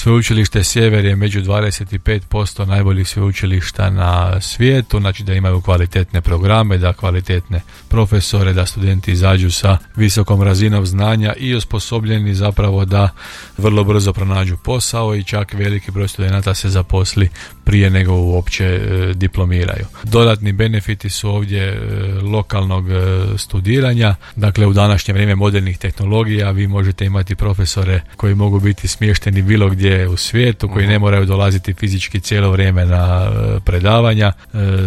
Sveučilište Sjever je među 25% najboljih sveučilišta na svijetu, znači da imaju kvalitetne programe, da kvalitetne profesore, da studenti izađu sa visokom razinom znanja i osposobljeni zapravo da vrlo brzo pronađu posao i čak veliki broj studenata se zaposli prije nego uopće diplomiraju. Dodatni benefiti su ovdje lokalnog studiranja, dakle u današnje vrijeme modernih tehnologija vi možete imati profesore koji mogu biti smješteni bilo gdje u svijetu, koji ne moraju dolaziti fizički cijelo vrijeme na predavanja,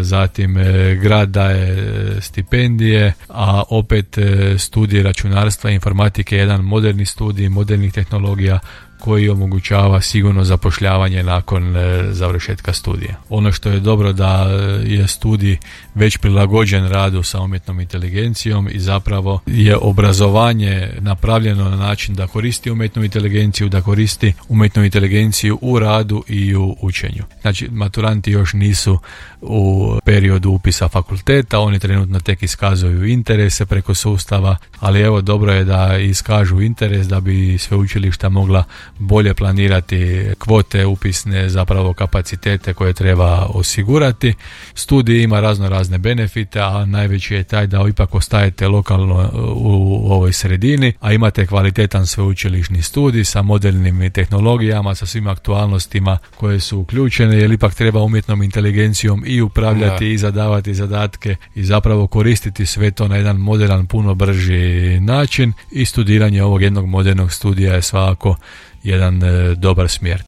zatim grad daje stipendije, a opet studij računarstva i informatike je jedan moderni studij modernih tehnologija koji omogućava sigurno zapošljavanje nakon završetka studija. Ono što je dobro da je studij već prilagođen radu sa umjetnom inteligencijom i zapravo je obrazovanje napravljeno na način da koristi umjetnu inteligenciju, da koristi umjetnu inteligenciju u radu i u učenju. Znači, maturanti još nisu u periodu upisa fakulteta, oni trenutno tek iskazuju interese preko sustava, ali evo dobro je da iskažu interes da bi sveučilišta mogla bolje planirati kvote upisne, zapravo kapacitete koje treba osigurati. Studij ima razne benefite, a najveći je taj da ipak ostajete lokalno u ovoj sredini, a imate kvalitetan sveučilišni studij sa modernim tehnologijama, sa svim aktualnostima koje su uključene, jer ipak treba umjetnom inteligencijom i upravljati i zadavati zadatke i zapravo koristiti sve to na jedan moderan, puno brži način, i studiranje ovog jednog modernog studija je svakako jedan dobar smjer.